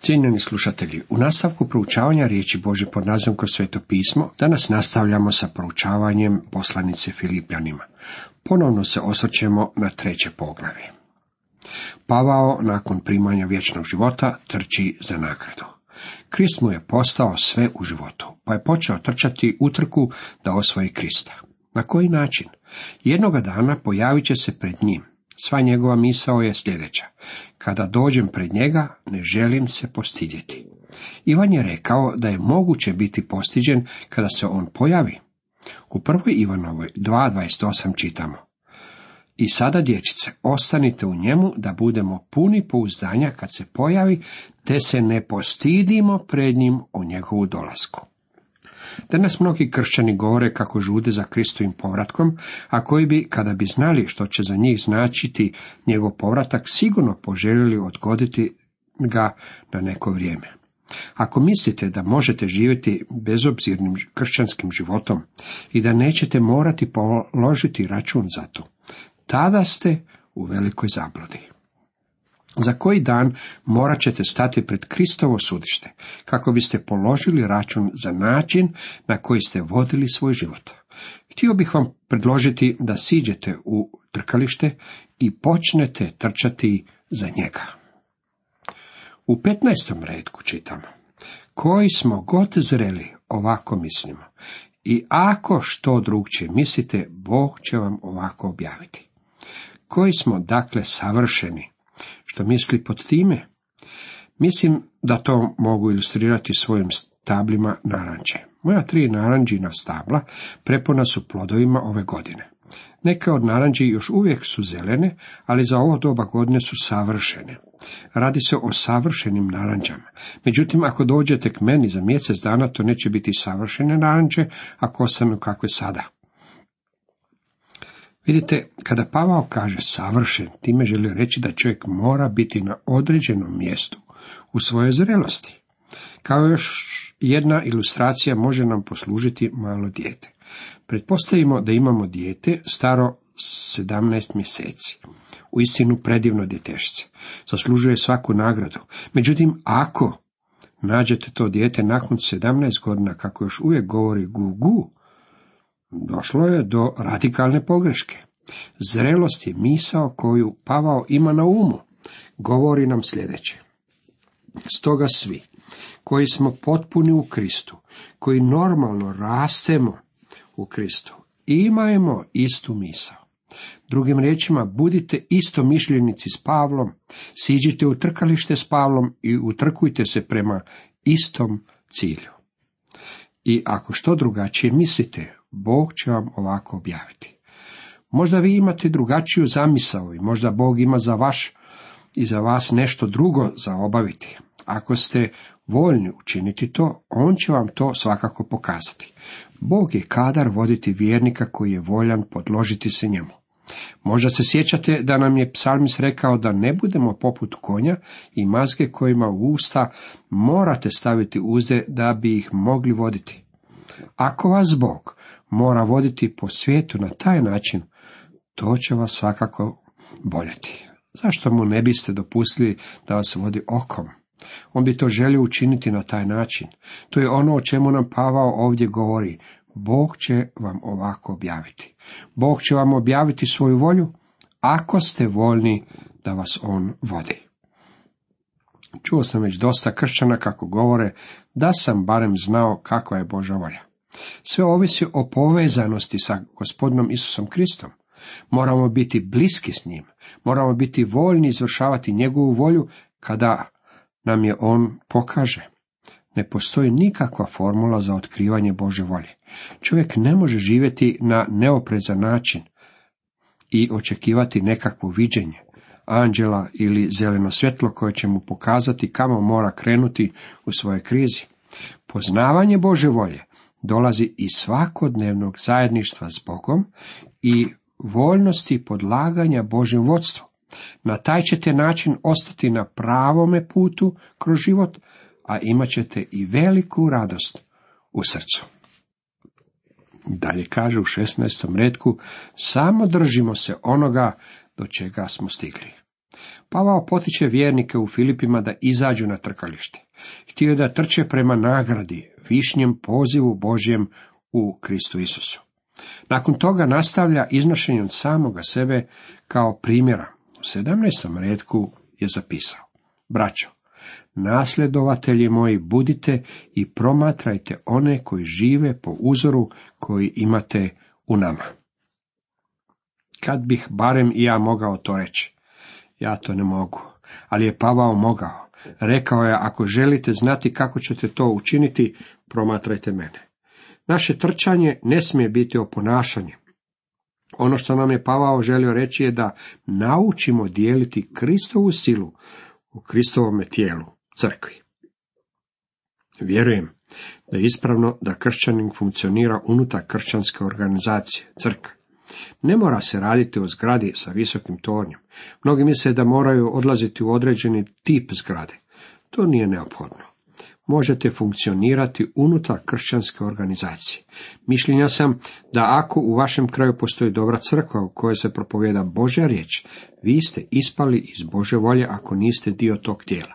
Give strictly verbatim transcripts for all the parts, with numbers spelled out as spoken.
Cijenjeni slušatelji, u nastavku proučavanja riječi Božje pod nazivom kroz Sveto pismo, danas nastavljamo sa proučavanjem poslanice Filipljanima. Ponovno se osvrćemo na treće poglavlje. Pavao, nakon primanja vječnog života, trči za nagradu. Krist mu je postao sve u životu, pa je počeo trčati utrku da osvoji Krista. Na koji način? Jednoga dana pojavit će se pred njim. Sva njegova misao je sljedeća: kada dođem pred njega, ne želim se postidjeti. Ivan je rekao da je moguće biti postiđen kada se on pojavi. U prvoj Ivanovoj dva dvadeset osam čitamo: i sada, dječice, ostanite u njemu da budemo puni pouzdanja kad se pojavi, te se ne postidimo pred njim o njegovu dolasku. Danas mnogi kršćani govore kako žude za Kristovim povratkom, a koji bi, kada bi znali što će za njih značiti njegov povratak, sigurno poželjeli odgoditi ga na neko vrijeme. Ako mislite da možete živjeti bezobzirnim kršćanskim životom i da nećete morati položiti račun za to, tada ste u velikoj zabludi. Za koji dan morat ćete stati pred Kristovo sudište, kako biste položili račun za način na koji ste vodili svoj život. Htio bih vam predložiti da siđete u trkalište i počnete trčati za njega. U petnaestom retku čitamo: koji smo god zreli, ovako mislimo, i ako što drugčije mislite, Bog će vam ovako objaviti. Koji smo dakle savršeni? Što misli pod time? Mislim da to mogu ilustrirati svojim stablima naranče. Moja tri naranđina stabla prepuna su plodovima ove godine. Neke od naranđi još uvijek su zelene, ali za ovo doba godine su savršene. Radi se o savršenim naranđama. Međutim, ako dođete k meni za mjesec dana, to neće biti savršene naranče, ako ostanu kakve sada. Vidite, kada Pavao kaže savršen, time želi reći da čovjek mora biti na određenom mjestu u svojoj zrelosti. Kao još jedna ilustracija može nam poslužiti malo dijete. Pretpostavimo da imamo dijete staro sedamnaest mjeseci. Uistinu predivno djetešce. Zaslužuje svaku nagradu. Međutim, ako nađete to dijete nakon sedamnaest godina kako još uvijek govori gu gu, došlo je do radikalne pogreške. Zrelost je misao koju Pavao ima na umu. Govori nam sljedeće: stoga svi koji smo potpuni u Kristu, koji normalno rastemo u Kristu, imajmo istu misao. Drugim riječima, budite istomišljenici s Pavlom, siđite u trkalište s Pavlom i utrkujte se prema istom cilju. I ako što drugačije mislite, Bog će vam ovako objaviti. Možda vi imate drugačiju zamisao i možda Bog ima za vaš i za vas nešto drugo za obaviti. Ako ste voljni učiniti to, on će vam to svakako pokazati. Bog je kadar voditi vjernika koji je voljan podložiti se njemu. Možda se sjećate da nam je psalmist rekao da ne budemo poput konja i mazge kojima u usta morate staviti uzde da bi ih mogli voditi. Ako vas Bog mora voditi po svijetu na taj način, to će vas svakako boljeti. Zašto mu ne biste dopustili da vas vodi okom? On bi to želio učiniti na taj način. To je ono o čemu nam Pavao ovdje govori. Bog će vam ovako objaviti. Bog će vam objaviti svoju volju, ako ste voljni da vas on vodi. Čuo sam već dosta kršćana kako govore da sam barem znao kakva je Božja volja. Sve ovisi o povezanosti sa Gospodinom Isusom Kristom. Moramo biti bliski s njim. Moramo biti voljni izvršavati njegovu volju kada nam je on pokaže. Ne postoji nikakva formula za otkrivanje Božje volje. Čovjek ne može živjeti na neoprezan način i očekivati nekakvo viđenje anđela ili zeleno svjetlo koje će mu pokazati kamo mora krenuti u svojoj krizi. Poznavanje Božje volje dolazi iz svakodnevnog zajedništva s Bogom i voljnosti podlaganja Božjem vodstvu. Na taj ćete način ostati na pravome putu kroz život, a imat ćete i veliku radost u srcu. Dalje kaže u šesnaestom retku: samo držimo se onoga do čega smo stigli. Pavao potiče vjernike u Filipima da izađu na trkalište. Htio je da trče prema nagradi, višnjem pozivu Božjem u Kristu Isusu. Nakon toga nastavlja iznošenjem samoga sebe kao primjera. U sedamnaestom retku je zapisao: Braćo, nasljedovatelji moji, budite i promatrajte one koji žive po uzoru koji imate u nama. Kad bih barem i ja mogao to reći. Ja to ne mogu, ali je Pavao mogao. Rekao je: ako želite znati kako ćete to učiniti, promatrajte mene. Naše trčanje ne smije biti oponašanje. Ono što nam je Pavao želio reći je da naučimo dijeliti Kristovu silu u Kristovome tijelu, crkvi. Vjerujem da je ispravno da kršćanin funkcionira unutar kršćanske organizacije, crkve. Ne mora se raditi o zgradi sa visokim tornjem. Mnogi misle da moraju odlaziti u određeni tip zgrade. To nije neophodno. Možete funkcionirati unutar kršćanske organizacije. Mišljenja sam da ako u vašem kraju postoji dobra crkva u kojoj se propovijeda Božja riječ, vi ste ispali iz Božje volje ako niste dio tog tijela.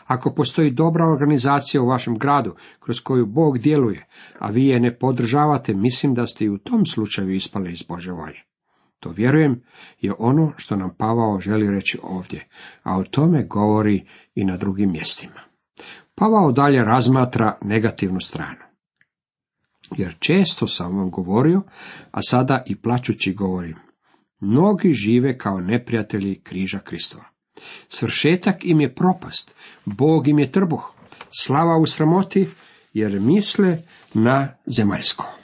Ako postoji dobra organizacija u vašem gradu kroz koju Bog djeluje, a vi je ne podržavate, mislim da ste i u tom slučaju ispali iz Božje volje. To, vjerujem, je ono što nam Pavao želi reći ovdje, a o tome govori i na drugim mjestima. Pavao dalje razmatra negativnu stranu. Jer često sam vam govorio, a sada i plačući govorim, mnogi žive kao neprijatelji križa Kristova. Svršetak im je propast, Bog im je trbuh, slava u sramoti, jer misle na zemaljsko.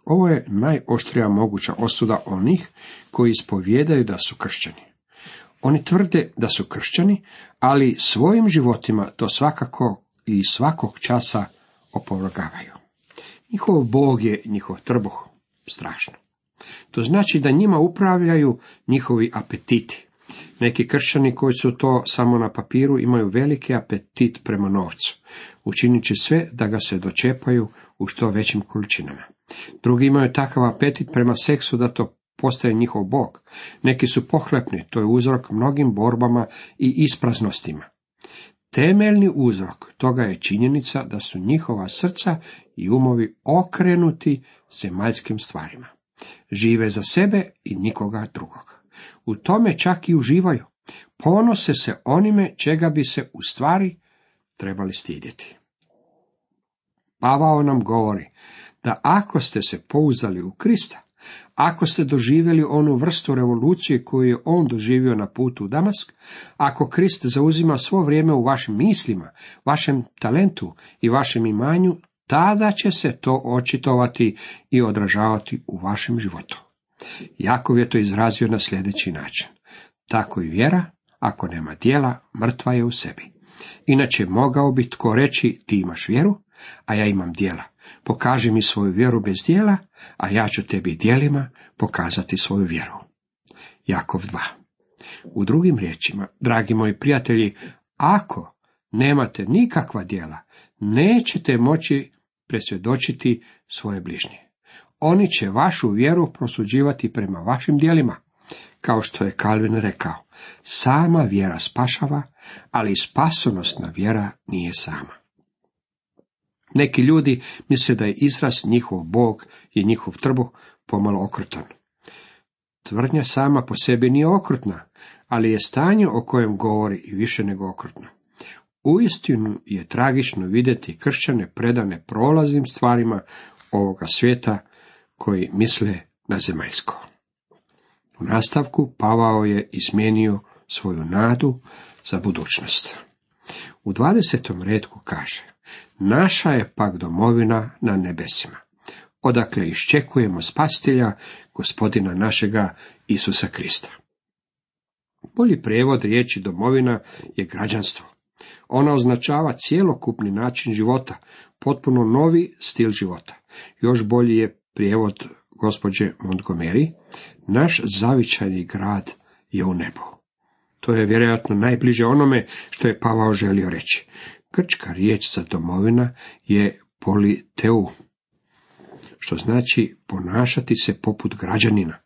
Ovo je najoštrija moguća osuda onih koji ispovijedaju da su kršćani. Oni tvrde da su kršćani, ali svojim životima to svakako i svakog časa opovrgavaju. Njihov Bog je njihov trbuh. Strašno. To znači da njima upravljaju njihovi apetiti. Neki kršćani koji su to samo na papiru imaju veliki apetit prema novcu, učinit će sve da ga se dočepaju u što većim količinama. Drugi imaju takav apetit prema seksu da to postaje njihov bog. Neki su pohlepni, to je uzrok mnogim borbama i ispraznostima. Temeljni uzrok toga je činjenica da su njihova srca i umovi okrenuti zemaljskim stvarima. Žive za sebe i nikoga drugog. U tome čak i uživaju. Ponose se onime čega bi se u stvari trebali stidjeti. Pavao nam govori da ako ste se pouzdali u Krista, ako ste doživjeli onu vrstu revolucije koju je on doživio na putu u Damask, ako Krist zauzima svo vrijeme u vašim mislima, vašem talentu i vašem imanju, tada će se to očitovati i odražavati u vašem životu. Jakov je to izrazio na sljedeći način. Tako i vjera, ako nema djela, mrtva je u sebi. Inače mogao bi tko reći, ti imaš vjeru, a ja imam djela. Pokaži mi svoju vjeru bez djela, a ja ću tebi djelima pokazati svoju vjeru. Jakov dva. U drugim riječima, dragi moji prijatelji, ako nemate nikakva djela, nećete moći presvjedočiti svoje bližnje. Oni će vašu vjeru prosuđivati prema vašim djelima. Kao što je Kalvin rekao, sama vjera spašava, ali spasonosna vjera nije sama. Neki ljudi misle da je izraz njihov Bog i njihov trbuh pomalo okrutan. Tvrdnja sama po sebi nije okrutna, ali je stanje o kojem govori i više nego okrutno. Uistinu je tragično vidjeti kršćane predane prolaznim stvarima ovoga svijeta koji misle na zemaljsko. U nastavku Pavao je izmijenio svoju nadu za budućnost. U dvadesetom retku kaže: naša je pak domovina na nebesima, odakle iščekujemo spasitelja, gospodina našega Isusa Krista. Bolji prijevod riječi domovina je građanstvo. Ona označava cjelokupni način života, potpuno novi stil života. Još bolji je prijevod gospođe Montgomery, naš zavičajni grad je u nebu. To je vjerojatno najbliže onome što je Pavao želio reći. Grčka riječ za domovina je politeu, što znači ponašati se poput građanina.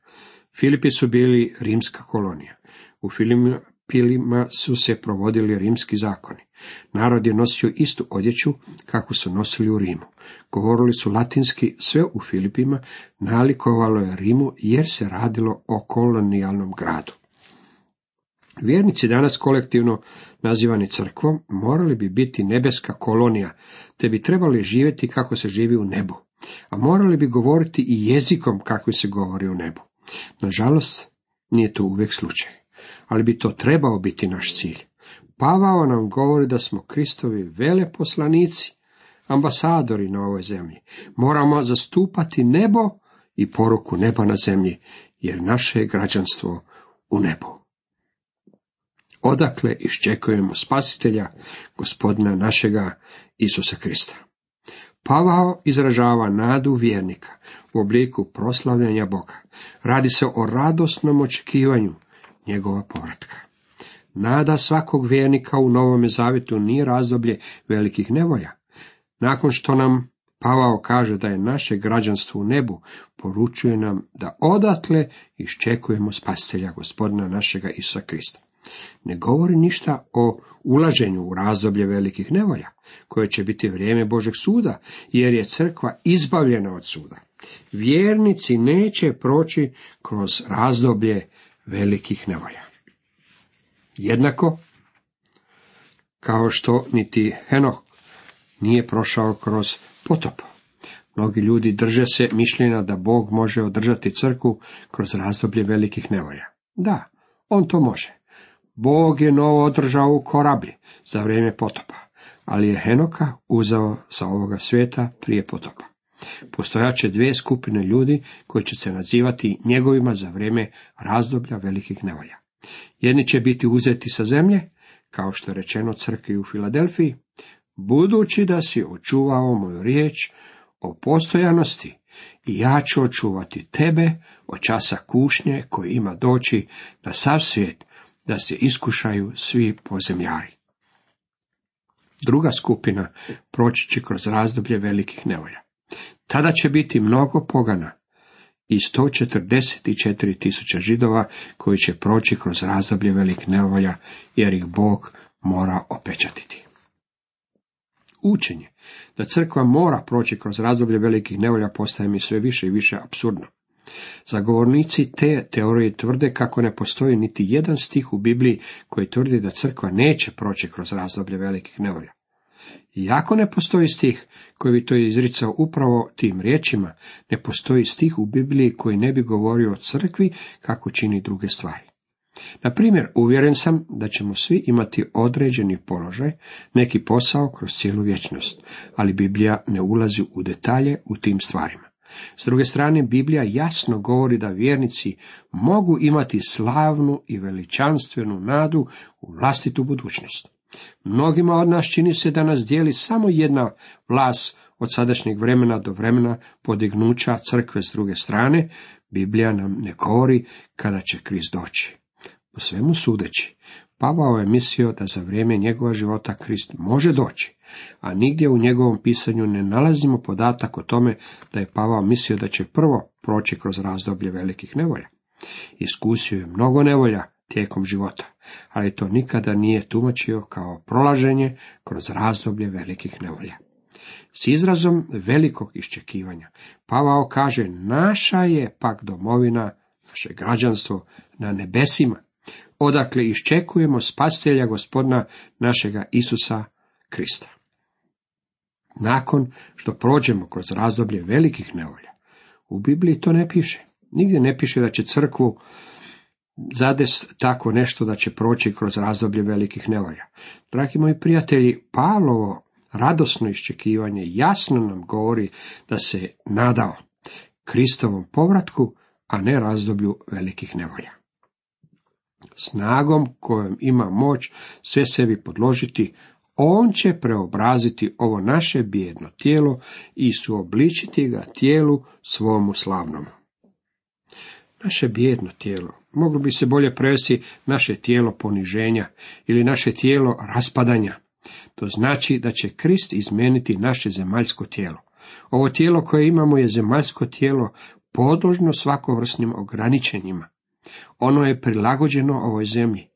Filipi su bili rimska kolonija. U Filipima su se provodili rimski zakoni. Narod je nosio istu odjeću kakvu su nosili u Rimu. Govorili su latinski, sve u Filipima nalikovalo je Rimu jer se radilo o kolonijalnom gradu. Vjernici danas kolektivno nazivani crkvom morali bi biti nebeska kolonija, te bi trebali živjeti kako se živi u nebu, a morali bi govoriti i jezikom kakvi se govori u nebu. Nažalost, nije to uvijek slučaj, ali bi to trebao biti naš cilj. Pavao nam govori da smo Kristovi veleposlanici, ambasadori na ovoj zemlji. Moramo zastupati nebo i poruku neba na zemlji, jer naše je građanstvo u nebu. Odakle iščekujemo spasitelja, Gospodina našega Isusa Krista. Pavao izražava nadu vjernika u obliku proslavljanja Boga. Radi se o radosnom očekivanju njegova povratka. Nada svakog vjernika u Novome Zavjetu nije razdoblje velikih nevolja. Nakon što nam Pavao kaže da je naše građanstvo u nebu, poručuje nam da odatle iščekujemo spasitelja, Gospodina našega Isusa Krista. Ne govori ništa o ulaženju u razdoblje velikih nevolja, koje će biti vrijeme Božeg suda, jer je crkva izbavljena od suda. Vjernici neće proći kroz razdoblje velikih nevolja. Jednako kao što niti Henoh nije prošao kroz potop. Mnogi ljudi drže se mišljenja da Bog može održati crkvu kroz razdoblje velikih nevolja. Da, on to može. Bog je Novo održao u korablji za vrijeme potopa, ali je Henoka uzeo sa ovoga svijeta prije potopa. Postojaće dvije skupine ljudi koji će se nazivati njegovima za vrijeme razdoblja velikih nevolja. Jedni će biti uzeti sa zemlje, kao što je rečeno crkvi u Filadelfiji, budući da si očuvao moju riječ o postojanosti, i ja ću očuvati tebe od časa kušnje koji ima doći na sav svijet, da se iskušaju svi pozemljari. Druga skupina proći će kroz razdoblje velikih nevolja. Tada će biti mnogo pogana i sto četrdeset četiri tisuće Židova koji će proći kroz razdoblje velikih nevolja, jer ih Bog mora opečatiti. Učenje da crkva mora proći kroz razdoblje velikih nevolja postaje mi sve više i više apsurdno. Zagovornici te teorije tvrde kako ne postoji niti jedan stih u Bibliji koji tvrdi da crkva neće proći kroz razdoblje velikih nevolja. Iako ne postoji stih koji bi to izricao upravo tim riječima, ne postoji stih u Bibliji koji ne bi govorio o crkvi kako čini druge stvari. Na primjer, uvjeren sam da ćemo svi imati određeni položaj, neki posao kroz cijelu vječnost, ali Biblija ne ulazi u detalje u tim stvarima. S druge strane, Biblija jasno govori da vjernici mogu imati slavnu i veličanstvenu nadu u vlastitu budućnost. Mnogima od nas čini se da nas dijeli samo jedna vlast od sadašnjeg vremena do vremena podignuća crkve. S druge strane, Biblija nam ne govori kada će Krist doći. Po svemu sudeći, Pavao je mislio da za vrijeme njegova života Krist može doći, a nigdje u njegovom pisanju ne nalazimo podatak o tome da je Pavao mislio da će prvo proći kroz razdoblje velikih nevolja. Iskusio je mnogo nevolja tijekom života, ali to nikada nije tumačio kao prolaženje kroz razdoblje velikih nevolja. S izrazom velikog iščekivanja Pavao kaže: naša je pak domovina, naše građanstvo na nebesima, odakle iščekujemo spasitelja, Gospodina našega Isusa Krista. Nakon što prođemo kroz razdoblje velikih nevolja, u Bibliji to ne piše. Nigdje ne piše da će crkvu zades tako nešto da će proći kroz razdoblje velikih nevolja. Dragi moji prijatelji, Pavlovo radosno iščekivanje jasno nam govori da se nadao Kristovom povratku, a ne razdoblju velikih nevolja. Snagom kojom ima moć sve sebi podložiti, on će preobraziti ovo naše bijedno tijelo i suobličiti ga tijelu svomu slavnom. Naše bijedno tijelo moglo bi se bolje prevesti naše tijelo poniženja ili naše tijelo raspadanja. To znači da će Krist izmijeniti naše zemaljsko tijelo. Ovo tijelo koje imamo je zemaljsko tijelo podložno svakovrsnim ograničenjima. Ono je prilagođeno ovoj zemlji.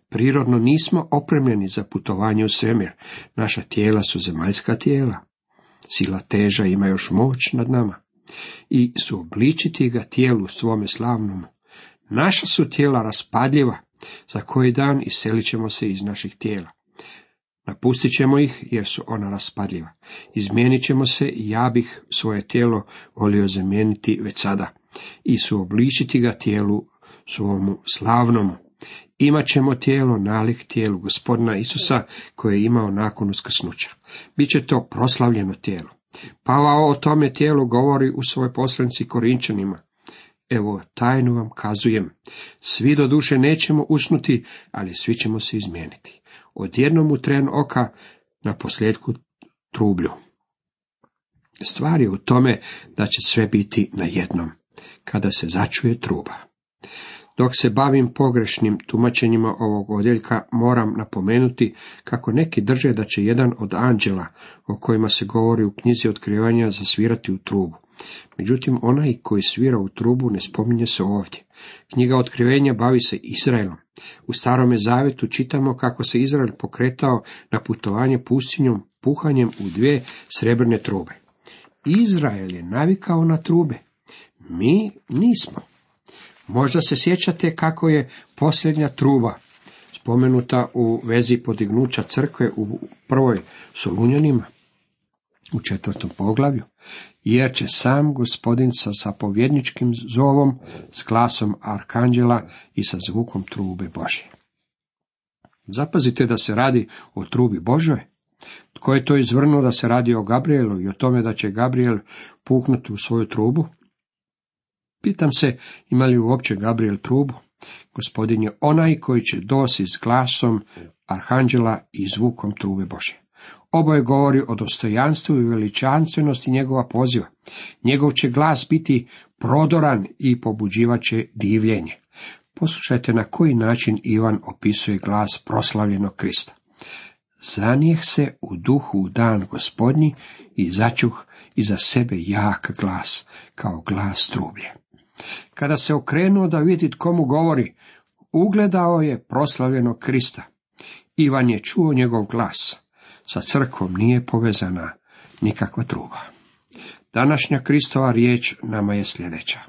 Prirodno nismo opremljeni za putovanje u svemir. Naša tijela su zemaljska tijela. Sila teža ima još moć nad nama. I suobličiti ga tijelu svome slavnomu. Naša su tijela raspadljiva. Za koji dan iselit ćemo se iz naših tijela. Napustit ćemo ih jer su ona raspadljiva. Izmijenit ćemo se i ja bih svoje tijelo volio zamijeniti već sada. I suobličiti ga tijelu svomu slavnomu. Imat ćemo tijelo nalik tijelu Gospodina Isusa koje je imao nakon uskrsnuća. Biće to proslavljeno tijelo. Pavao o tome tijelu govori u svojoj poslanici Korinčanima. Evo, tajnu vam kazujem. Svi do duše nećemo usnuti, ali svi ćemo se izmijeniti. Odjednom u tren oka, na posljedku trublju. Stvar je u tome da će sve biti na jednom, kada se začuje truba. Dok se bavim pogrešnim tumačenjima ovog odjeljka, moram napomenuti kako neki drže da će jedan od anđela, o kojima se govori u knjizi Otkrivanja, zasvirati u trubu. Međutim, onaj koji svira u trubu ne spominje se ovdje. Knjiga Otkrivenja bavi se Izraelom. U Starome Zavjetu čitamo kako se Izrael pokretao na putovanje pustinjom puhanjem u dvije srebrne trube. Izrael je navikao na trube. Mi nismo. Možda se sjećate kako je posljednja truba spomenuta u vezi podignuća crkve u prvoj Solunjanima, u četvrtom poglavlju, jer će sam Gospodin sa zapovjedničkim zovom, s glasom arkanđela i sa zvukom trube Božje. Zapazite da se radi o trubi Božoj. Tko je to izvrnuo da se radi o Gabrielu i o tome da će Gabriel puhnuti u svoju trubu? Pitam se, ima li uopće Gabriel trubu? Gospodin je onaj koji će doći s glasom arhanđela i zvukom trube Božje. Oboje govori o dostojanstvu i veličanstvenosti njegova poziva. Njegov će glas biti prodoran i pobuđivat će divljenje. Poslušajte na koji način Ivan opisuje glas proslavljenog Krista. Zanijeh se u duhu u dan Gospodnji i začuh iza sebe jak glas, kao glas trublje. Kada se okrenuo da vidi tko mu govori, ugledao je proslavljenog Krista. Ivan je čuo njegov glas. Sa crkvom nije povezana nikakva truba. Današnja Kristova riječ nama je sljedeća.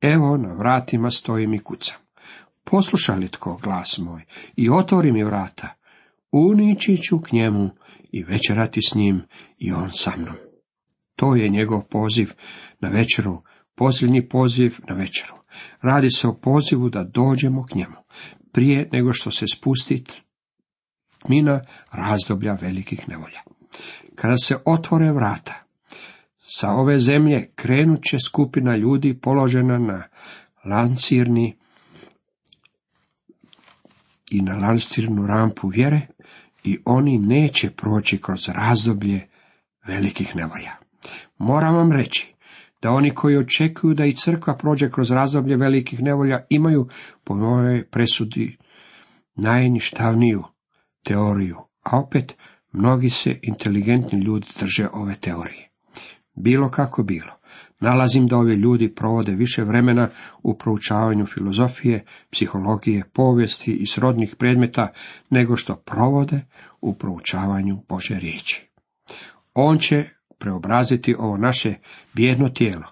Evo, na vratima stojim i kucam. Posluša li tko glas moj i otvori mi vrata, unići ću k njemu i večerati s njim i on sa mnom. To je njegov poziv na večeru, posljednji poziv na večeru. Radi se o pozivu da dođemo k njemu, prije nego što se spusti tmina razdoblja velikih nevolja. Kada se otvore vrata, sa ove zemlje krenut će skupina ljudi položena na lancirni i na lancirnu rampu vjere i oni neće proći kroz razdoblje velikih nevolja. Moram vam reći da oni koji očekuju da i crkva prođe kroz razdoblje velikih nevolja imaju po mojoj presudi najništavniju teoriju, a opet mnogi se inteligentni ljudi drže ove teorije. Bilo kako bilo, nalazim da ovi ljudi provode više vremena u proučavanju filozofije, psihologije, povijesti i srodnih predmeta nego što provode u proučavanju Božje riječi. On će preobraziti ovo naše bijedno tijelo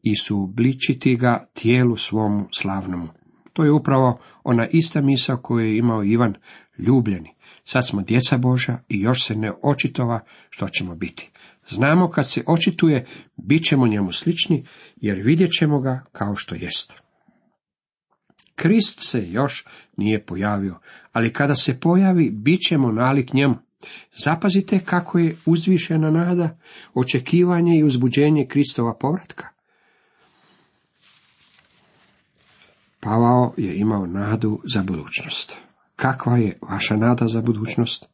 i suobličiti ga tijelu svomu slavnomu. To je upravo ona ista misao koju je imao Ivan, ljubljeni. Sad smo djeca Božja i još se ne očitova što ćemo biti. Znamo kad se očituje, bit ćemo njemu slični, jer vidjet ćemo ga kao što jest. Krist se još nije pojavio, ali kada se pojavi, bit ćemo nalik njemu. Zapazite kako je uzvišena nada, očekivanje i uzbuđenje Kristova povratka. Pavao je imao nadu za budućnost. Kakva je vaša nada za budućnost?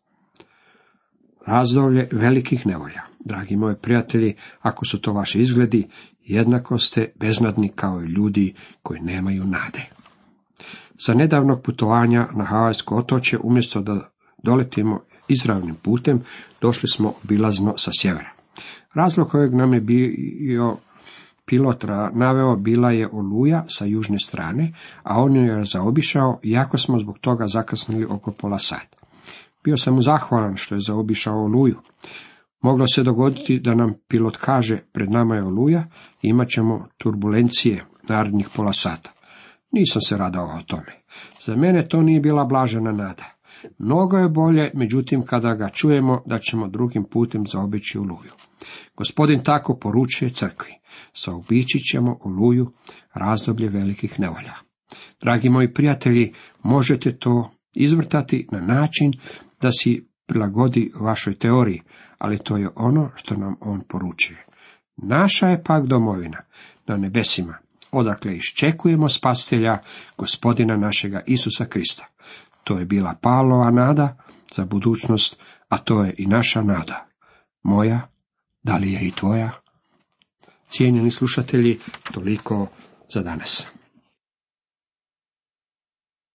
Razdoblje velikih nevolja. Dragi moji prijatelji, ako su to vaši izgledi, jednako ste beznadni kao i ljudi koji nemaju nade. Za nedavnog putovanja na Havajsko otočje, umjesto da doletimo izravnim putem, došli smo obilazno sa sjevera. Razlog kojeg nam je bio Pilot naveo bila je oluja sa južne strane, a on ju je zaobišao, iako smo zbog toga zakasnili oko pola sata. Bio sam mu zahvalan što je zaobišao oluju. Moglo se dogoditi da nam pilot kaže, pred nama je oluja i imat ćemo turbulencije narednih pola sata. Nisam se radao o tome. Za mene to nije bila blažena nada. Mnogo je bolje, međutim, kada ga čujemo da ćemo drugim putem zaobići oluju. Gospodin tako poručuje crkvi. Zaobići ćemo oluju, razdoblje velikih nevolja. Dragi moji prijatelji, možete to izvrtati na način da si prilagodi vašoj teoriji, ali to je ono što nam on poručuje. Naša je pak domovina na nebesima, odakle iščekujemo spasitelja, Gospodina našega Isusa Krista. To je bila Pavlova nada za budućnost, a to je i naša nada. Moja, da li je i tvoja? Cijenjeni slušatelji, toliko za danas.